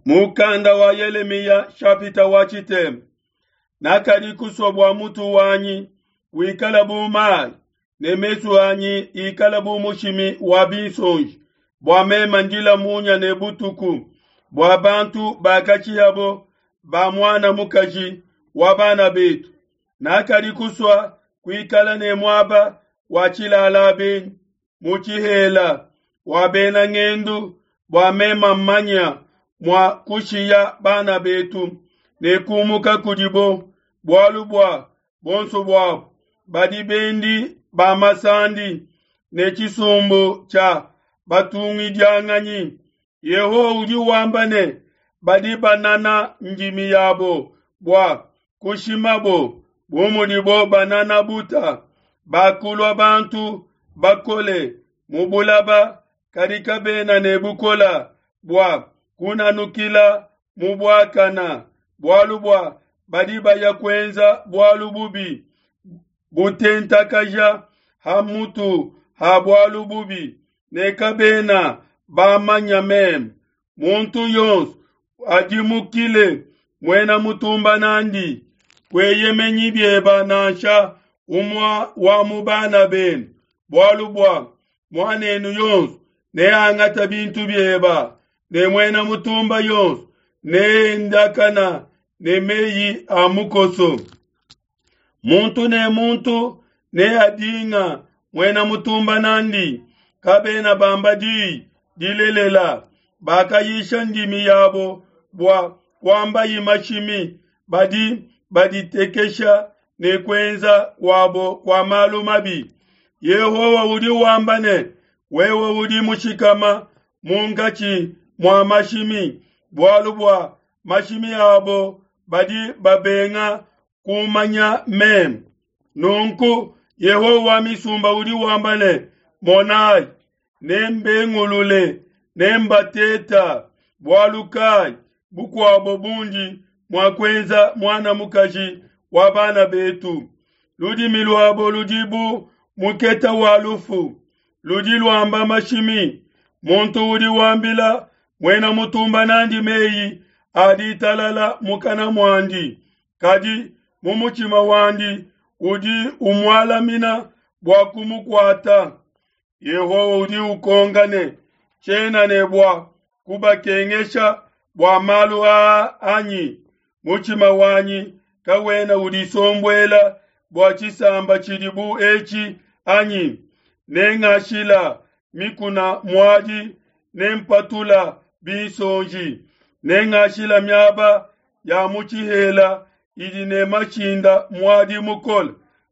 Mukanda wa Yelemiya shapita wa tshitema. Nakadi kusua bua mutu wanyi wikala bu mayi ne mesu anyi ikala bu mushimi wa binsonji, bua mema ndila munya ne butuku, bua bantu bakatshihabo ba muana mukaji wa bana betu. Nakadi kusua kuikala ne muaba wa tshilala benyi mu tshihela wa bena ngendu, bua mema mmanya mua kushiya bana betu ne kumuka kudibo, bualu bua bonso buabo badi bendi ba masandi ne tshisumbu tshia batungidianganyi. Yehowa udi wamba ne, badi banana ndimi yabo bua kushimabo bu mudibo banana buta, bakulua bantu bakole mu bulaba, kadi kabena ne bukola bua kunanukila mu buakana, bualu bua badi baya kuenza bualu bubi butentakaja ha mutu ha bualu bubi, ne kabena bamanya meme. Muntu yonso adimukile muena mutumba nandi, kueyemenyi bieba nansha umue wa mu bana benu, bualu bua muanenu yonso neangata bintu bieba, ne muena mutumba yonso neendakana ne meyi a mukoso. Muntu ne muntu neadinga muena mutumba nandi, kabena bamba diyi dilelela, bakayisha ndimi yabo bua kuambayi mashimi, badi baditekesha ne kuenza kuabo kua malu mabi. Yehowa udi wamba ne, wewe udi mushikama munkatshi mua mashimi, bualu bua mashimi abo badi babenga kumanya meme. Nunku Yehowa wa misumba udi wamba ne, Monayi, nembengulule, nembateta, bualu kayi bukuabo bundi mua kuenza muana mukaji wa bana betu? Ludimi luabo ludi bu muketa wa lufu, ludi luamba mashimi. Muntu udi wambila muena mutumba nandi meyi a ditalala mukana muandi, kadi mu mutshima wandi udi umualamina bua kumukuata. Yehowa udi ukonka ne, tshiena ne bua kubakengesha bua malu aa anyi? Mutshima wanyi kawena udisombuela bua tshisamba tshidi bu etshi anyi? Nengashila mikuna muadi, nempatula binsonji, nengashila miaba ya mu tshihela idi ne mashinda muadi mukole,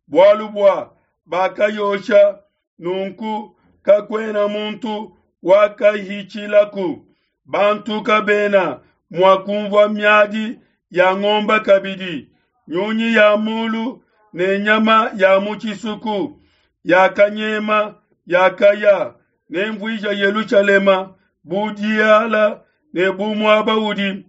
bualu bua bakayosha, nunku kakuena muntu wakahitshilaku. Bantu kabena mua kumvua miadi ya ngomba kabidi, nyunyi ya mulu ne nyama ya mu tshisuku yakanyema yakaya. Nemvuija Yelushalema bu diala ne bu muaba udi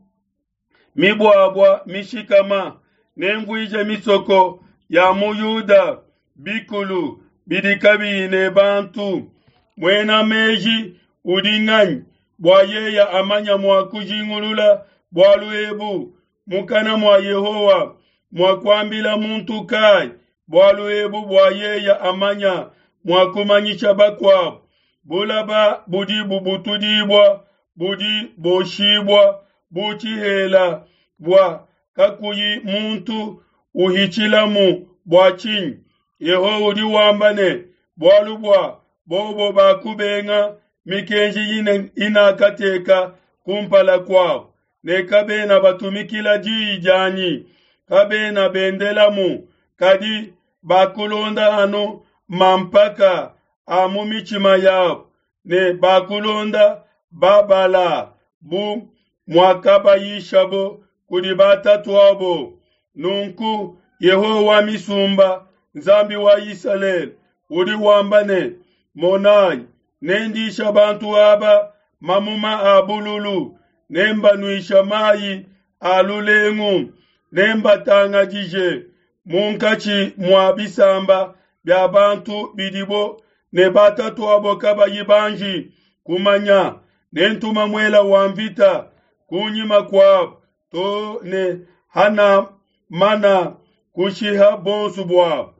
mibuabua mishikama, nemvuije misoko ya mu Yuda bikulu bidi kabiyi ne bantu. Muena meji udi nganyi bua yeye amanya mua kujingulula bualu ebu? Mukana mua Yehowa mua kuambila muntu kayi bualu ebu bua yeye amanya mua kumanyisha bakuabo? Bulaba budi bubutudibua budi boshibua bu tshihela bua kakuyi muntu uhitshilamu bua tshinyi? Yehowa udi wamba ne, bualu bua bobo bakubenga mikenji inakateka kumpala kuabo, ne kabena batumikila diyi dianyi, kabena bendelamu, kadi bakulonda anu mampaka a mu mitshima yabo, ne bakulonda Babala bu muakabayishabo kudi batatuabo. Nunku Yehowa wa misumba, Nzambi wa Isalele, udi wamba ne, Monayi, nendisha bantu aba mamuma a bululu, nembanuisha mayi a lulengu, nembatangadije munkatshi mua bisamba bia bantu bidibo ne batatuabo kabayi banji kumanya. Nentuma muela wa mvita. kunyima kuabo to ne hanamana kushiha bonso buabo.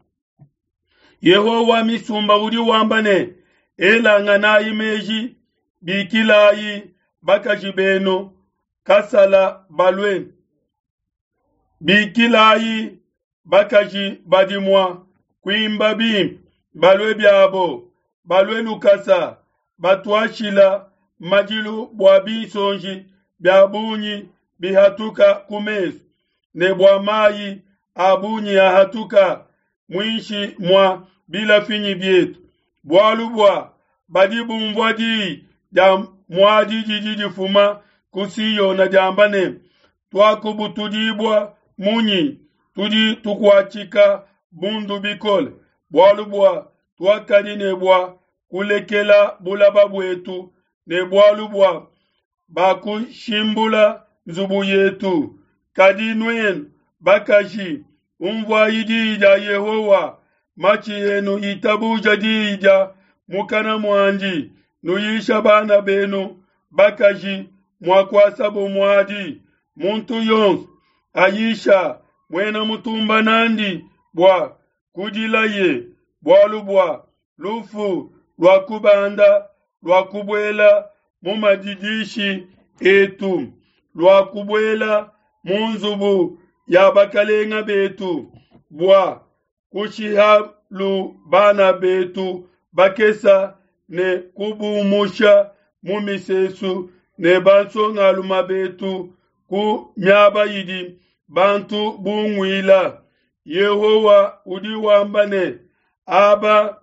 Yehowa wa misumba udi wamba ne, Elanganayi meji, bikilayi bakaji benu kasala balue, bikilayi bakaji badi mua kuimba bimpe balue biabo, balue lukasa, batuashila madilu bua binsonji bia bungi bihatuka ku mesu, ne bua mayi a bungi ahatuka muinshi mua bilafinyi bietu, bualu bua badi bumvua diyi dia muadi didi difuma ku Siona diamba ne, Tuakubutudibua munyi? Tudi tukuatshika bundu bikole, bualu bua tuakadi ne bua kulekela bulaba buetu, ne bualu bua bakushimbula nzubu yetu. Kadi nuenu bakaji, umvuayi diyi dia Yehowa, matshi enu itabuja diyi dia mukana muandi, nuyisha bana benu bakaji mua kuasabo muadi. Muntu yonso ayisha muena mutumba nandi bua kudilaye, bualu bua lufu luakubanda luakubuela mu madidishi etu, luakubuela mu nzubu ya bakalenga betu, bua kushihalu bana betu bakesa ne kubumusha mu misesu ne bansongaluma betu ku miaba idi bantu bunguila. Yehowa udi wamba ne, Aba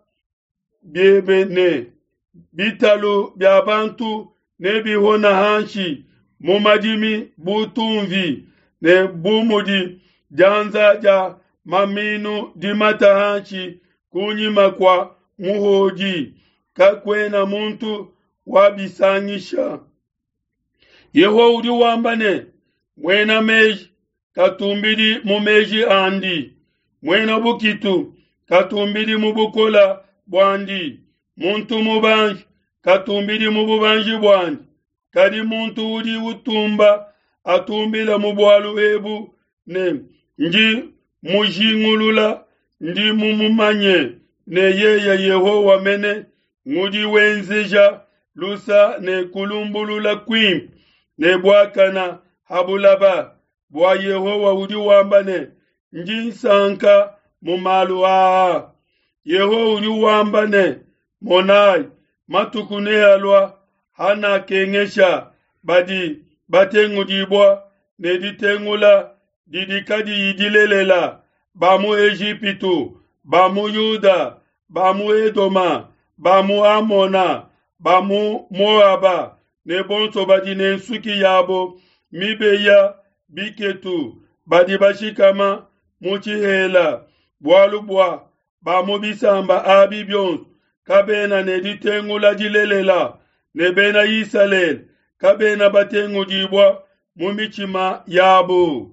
biebe ne bitalu bia bantu nebihona hanshi mu madimi bu tumvi, ne bu mudi dianza dia maminu dimata hanshi kunyima kua muhodi, kakuena muntu wabisangisha. Yehowa udi wamba ne, Muena meji katumbidi mu meji andi, muena bukitu katumbidi mu bukola buandi, muntu mubanji katumbidi mu bubanji buandi, kadi muntu udi utumba atumbile mu bualu ebu ne, ndi mujingulula, ndi mumumanye ne yeye Yehowa mene ngudi wenzeja lusa ne kulumbulula kuimpe ne buakana ha bulaba. Bua Yehowa udi wamba ne, ndi nsanka mu malu aa. Yehowa udi wamba ne, monai, matuku nealua hanakengesha badi batengudibua ne ditengula didi kadiyi dilelela, ba mu Ejipitu, ba mu Yuda, ba mu Edoma, ba mu Amona, ba mu Moaba, ne bonso badi ne nsuki yabo mibeya biketu, badi bashikama mu tshihela, bualu bua ba mu bisamba abi bionso kabena ne ditengula dilelela, ne bena Isalele kabena batengudibua mu mitshima yabo.